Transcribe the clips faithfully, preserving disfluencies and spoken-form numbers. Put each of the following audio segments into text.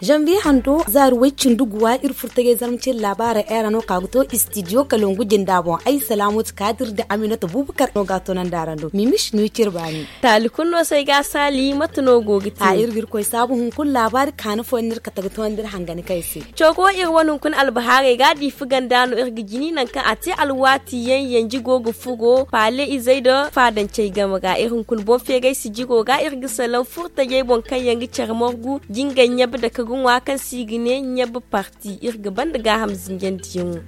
Zanbiye hando zaari way cindi guwa iri furtajey zarma cine laabaarey ay ra no ka ga to istidiyo kalangu jinda boŋ ay salaamatu kaadir nda aminata buubakar no ga a toonandi araŋ do mimis no cire baani. Taali kulu no se ay ga a saali mate no go ga te a iri ga iri koy saabu hunkuna laabaari kaani fooyaŋ no iri kate ga toonandi iri hangani kaŋ ay se. Coro iri wane hunkuna albahaarey ga diifa ganda no iri ga jini nangu kaŋ a te alwaati yaŋ yanji go ga furo paale izey nda faadancey game ra iri hunkuna boŋ feeray sijiro ga iri ga salaŋ furtajey boŋ kaŋ yaŋ ga care margu jingay ɲabe dake ga ŋwa kaŋ se i ga ne ɲabe parti iri ga banda gaaham zinjandiyaŋo.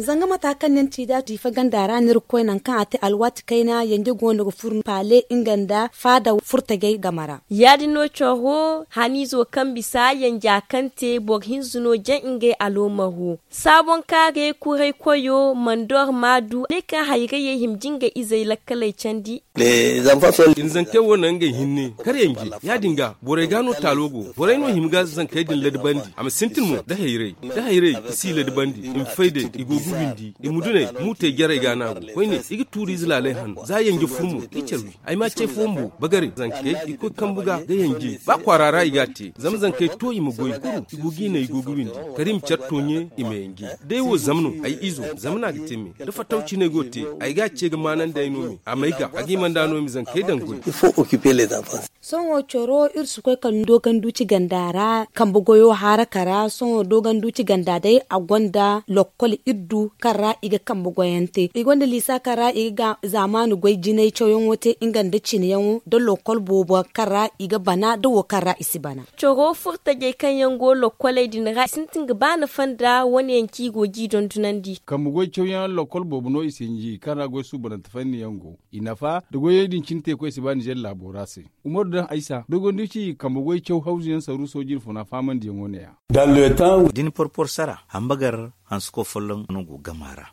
Zanga mata kaŋ ni na ci da diifa ganda ra no iri ga koy nangu kaŋ a te alwaati kayna yanje go no ga furo paale nga nda faada furtajey game ra. Ya- din no coro haniizo kaŋ bisa yanja kaŋ te boro hinza no jaŋ ngey aloomaro. Saabonkaaray kuray koyo mandor maadu ne kaŋ hayrayey hima jingay izey lakkaley candi. Iri zankey wo naŋ ngey hinne kar yanje ya- din ga borey ga no taalo go borey no hima ga zankey din ladabandi a ma sintin mo da hayray da hayray i si ladabandi i ma fay day i go ga windi i ma dunay muutey jarey ga no a go koyne i ga tuuriize laalay han za yanje fur mo i care wi ay ma ce fooyaŋ bo bagare zankey i koy kambu ga ga yanje ba kwaara ra i ga a te zama zankey to i ma goy kuru i go ga i naŋ i go ga windi kala i ma care tooɲe i ma yanje day wo zama no ay izo zama no a ga te me da fattaw cine go te ay ga a ce ga maanandi ay no me a may ga a ga i manda no i ma zankey daŋ goy. Sohõ coro iri si koy kala ni dooganduuci ganda ra kambe goyo haaraka ra sohõ dooganduuci ganda day a gonda lokkol iddu kaŋ ra i ga kambe goyaŋ te i gonda liisa kaŋ ra i ga zaamaani goy jinay cawyaŋo te nga nda cineyaŋo da lokkol boobo kaŋ ra i ga bana da wo kaŋ ra i si bana. Coro furtajey kaŋ yaŋ go lokkoley din ra i sintin ga ba nafa nda wane yaŋ kaŋ i go ga i dondonandi. Kambe goy cawyaŋ lokkol boobo no i sinji kaŋ ra goy suubanante fanni yaŋ go i nafa da goyey din cine teekoy si ba ninzeer laabo ra se. Umaru daŋ aysa dogonduci kambe goy caw hawzu yaŋ saru sooji nfuna faamandiyaŋo ne- ya. Da ni porpor sara hambagar hansuko folloŋ no go gama ra.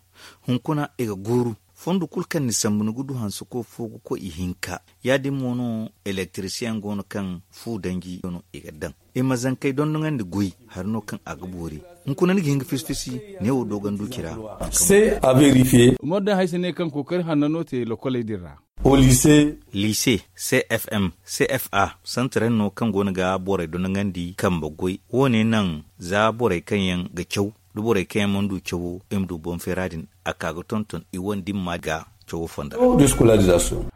Hunkuna i ga gooru fondo kulu kaŋ ni sambu ni ga du hansuko fo ga koy ihinka. Ya- din mo no elektirisiyeŋ go no kaŋ fu danji no i ga daŋ i ma zankey dondoŋandi goy hari no kaŋ a ga boori. Hunkuna ni ga hin ga fisi fisi neewo dooganduci ra. Umaru daŋ haysa ne kaŋ kookari hanna no te lokoley din ra. Liise cfm cfa santaray no kaŋ go no ga borey dondoŋandi kambe goy wo- ne naŋ za borey kaŋ yaŋ ga caw da borey kaŋ yaŋ mana du cawo i ma du boŋ feera din a ka ga tonton i wane dimma ga cawo fonda ra.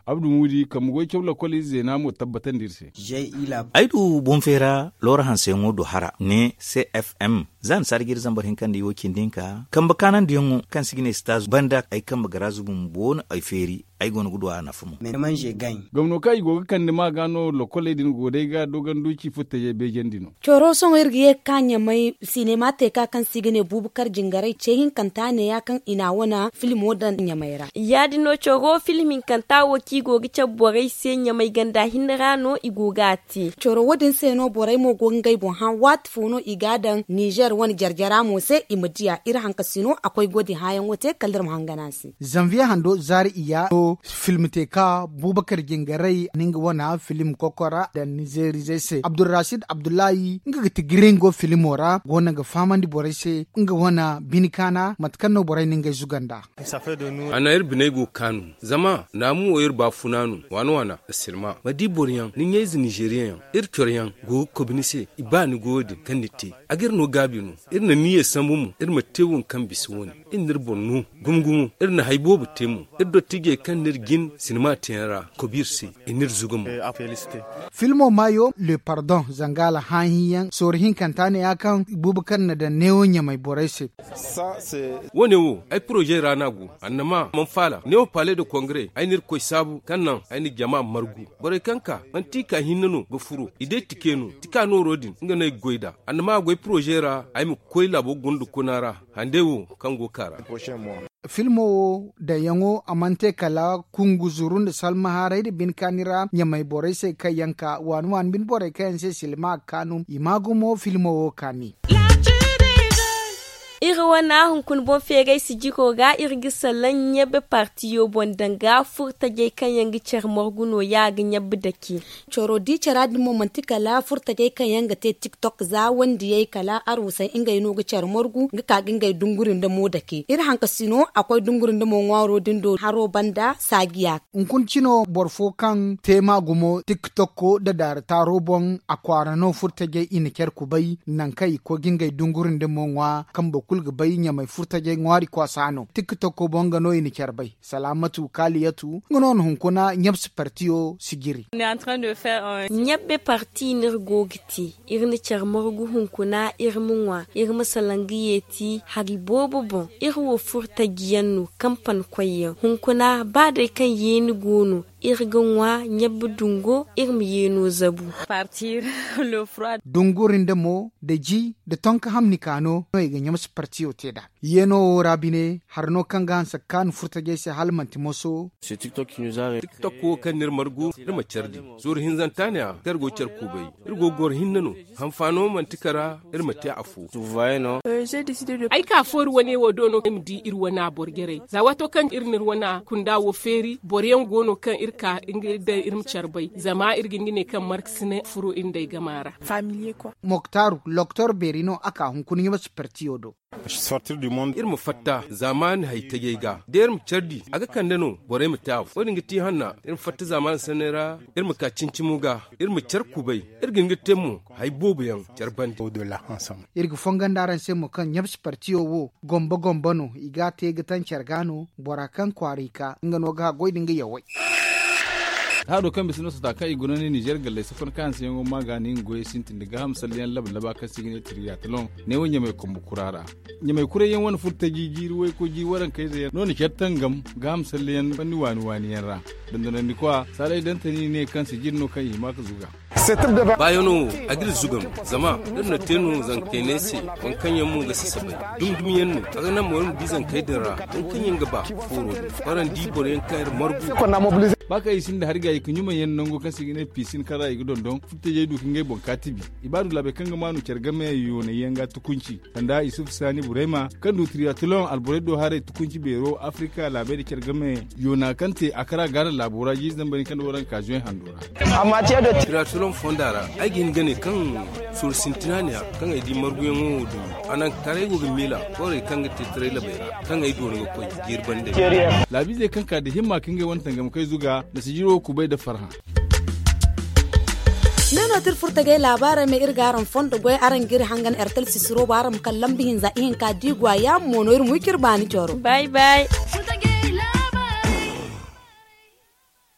Abdu muudi kambe goy caw lokol ize zeena mo tabbatandi iri se. Ay du boŋ feera loora hanseyaŋo do hara ne cfm za ni saada ga iri zambar hinka nda i wo cindi hinka kambe kaanandiyaŋo kaŋ si ga ne sitaazu banda ay kambe garaazu bumbo no ay feeri. Ay go no ga du a nafa mo. Gomno kaŋ i go ga kande ma ga no lokoley din go day ga doganduci futtajey beejandi no. Coro sohõ iri ga ye ga ka ɲamay sinema te ka kaŋ se i ga ne buubakar jingaray ce hinkanta ne ya kaŋ i na a wane filmo daŋ ɲamay ra. Ya- din no coro film hinkanta wo kaŋ i go ga cabe borey se ɲamay ganda hinne ra no i go ga a te. Coro wo- din se no borey mo go ga ngey boŋ hã waati fo no i ga a daŋ nizer wane jarjara mo se i ma di a iri hankasino a koy go- din hãyaŋo te kala iri ma hangan a se. Zanviye hando zaari iyya no film te ka buubakar jingaray ni nga wane film kokora da nizerizey se abdulrasid abdullahi nga ga ti giringo filmo ra go no ga fahamandi borey se nga wane bine kaana mate kaŋ no borey na ngey zuga nd'a. A na iri biney go ga kaanu zama naamu wo iri baafuna no waana waana asilma ma di boro yaŋ ni ɲayze nizeriyaŋ yaŋ iri coro yaŋ go ga kobi ni se i ba ni goyo din kaŋ ni te a ga iri no gaabi no. Iri na niyyey sambu mo iri ma te wo kaŋ bisa wo- ne iri na iri boŋ no gumo gumo iri na hari boobo te mo. Iri dottijey kaŋ na iri jin sinima teeyaŋ ra kobi iri se i na iri zuga mo. Filmo maayo le pardon zanga alhãahiyaŋ sorro hinkanta ne ya kaŋ buuba kaŋ na daŋ neewo ɲamay borey se. Wo- ne wo ay poroze ra no a go annama mana faala neewo paale nda kongare ay na irkoy saabu kaŋ naŋ ay na jama margu. Borey kaŋ ka manti i ka hinne no ga furo i day tike no tika nooro din nga no ay ga goy nd'a annama a goy poroze ra ay ma koy laabo gunda kuna ra. Hande wo kaŋ go ga ka ra. Filmo wo daŋyaŋo a mana te kala kunguzuru nda salmaharay nda bine kaani ra ɲamay borey se kaŋ yaŋ ka waani waani bine borey kaŋ yaŋ se silma ga kaanu i ma gumo filmo wo kaani. Iri wane hunkuna boŋ feeray sijiro ga iri ga salaŋ ɲabbe partiyo boŋ danga furtajey kaŋ yaŋ ga care margu nooya ga ɲabbe dake. Caro di cara din mo manti kala furtajey kaŋ yaŋ ga te tiktok za wandiyey kala arwusey ngey no ga care margu ga ka ga ngey dunguri nda mo dake iri hankasino a koy dunguri nda mo ŋwaaro din do haro banda saajiya. Hunkuna cino boro fo kaŋ te ma gumo tiktok nda daara taaro boŋ a kwaara no furtajey i na care kubay nangu kaŋ i koy ga ngey dunguri nda mo ŋwa kaŋ boro kulu ga bay ɲamay furtajey ŋwaari kwaasa no tiktok boŋ nga no i na care bay. Salaamatu kaaliyatu nga no na hunkuna ɲabse partiyo sijiri. Ɲabbe parti no iri go ga te. Iri na care margu hunkuna iri ma ŋwa iri ma salaŋ ga yeeti hari boobo boŋ. Iri wo furtaji yaŋ no kampani koy yaŋ hunkuna ba day kaŋ yeeni go no iri ga ŋwa ɲabbe dungo iri ma yeeno zabu. Dunguri nda mo nda ji nda tonka hamni ka no no i ga ɲamse partiyo te nd'a. Yeeno wo ra bine hari no kaŋ ga hanse ga kaanu furtajey se hala manti moso. Tiktok wo kaŋ n'iri margu iri ma care di. Zuru hinzanta ne a kaŋ iri go ga care kuubay iri go ga goro hinne no. Hanfaano manti kara iri ma te afo. Ay ka fooru wane wo do no ay ma di iri wana boro jarey za waato kaŋ iri n'iri wana kunda wo feeri boro yaŋ go no kaŋ iri ka nga iri daŋ iri ma care bay zama iri ga hin ga ne kaŋ markasinay furo iri nd'ey gama ra. Moktaru loktor beeri no a ka hunkuna ɲamse partiyo do. Iri ma fatta zaamaani hay tajey ga da iri ma care di a ga kande no borey ma te afo wo- din ga te hanna. Iri ma fatta zaamaani sanney ra iri ma ka cimi-cimo ga iri ma care kubay. Iri ga hin ga te mo hay boobo yaŋ care bande. Iri ga fongondi araŋ se mo kaŋ ɲabse partiyo wo gomba gomba no i ga a te ga taŋ care ga no bora kaŋ kwaara i ka nga no ga haggoy nda nga yawey. Haado kaŋ bisa no sata kaŋ i guna ne nizer galley safan kaŋ hanseyaŋo ma ga ni nga goyey sintin nda gaaham salleyaŋ laba laba kaŋ se i ga ne tiriyataloŋ. Neewo ɲamay kombo kura ra ɲamay kurayyaŋ wane furtaji jiiri waykoy jiiri warankayze yaŋ no na care tangam gaaham salleyaŋ fanni waani waani yaŋ ra. Dondonandikwa saalay dantani ne kaŋ sijiri no kaŋ i hima ga zuga. Baayaŋo wo a ga iri zuga no zama iri na te no zankey ne se waŋ kaŋ yaŋ mo ga sasabay. Dumi dumi yaŋ no a ga naŋ mo iri ma di zankey din ra waŋ kaŋ yaŋ ga ba fooro din. Barandi boro yaŋ kaŋ iri margu. Ba kaŋ i sinda hari ga i ga ɲumay yaŋ nango kaŋ se i ga ne piisin kaŋ ra i ga dondon furtajey du ka ngey boŋ ka tibi. I ba du laabey kaŋ ga maanu care game yoonay yaŋ ga tukunci sanda isufu saani burayma kaŋ du triyatoloŋ alborey do haray tukunci beero afrika laabey nda care game yoona kaŋ te a kara gaana laabo ra jiiri zambar hinka nda waranka zuwey hando ra. Triyatoloŋ fonda ra ay ga hin ga ne kaŋ sooru sintina ne a kaŋ ay di marguyaŋo wo du a naŋ karay go ga miila koorey kaŋ ga te taray labey ra kaŋ ay doona ga koy jiiri bande. Laabiizey kaŋ ka nda himma ka ngey wane tangamkey zuga nda sijiro kubay nda farhã. Ne no ti iri furtagay laabaarey me iri ga araŋ fondo goy araŋ ga iri hangan ertel sisiro bo araŋ ma kala lambu hinza ihinka da i go a yaamo mo no iri ma wi ka iri baani coro. Bay bay.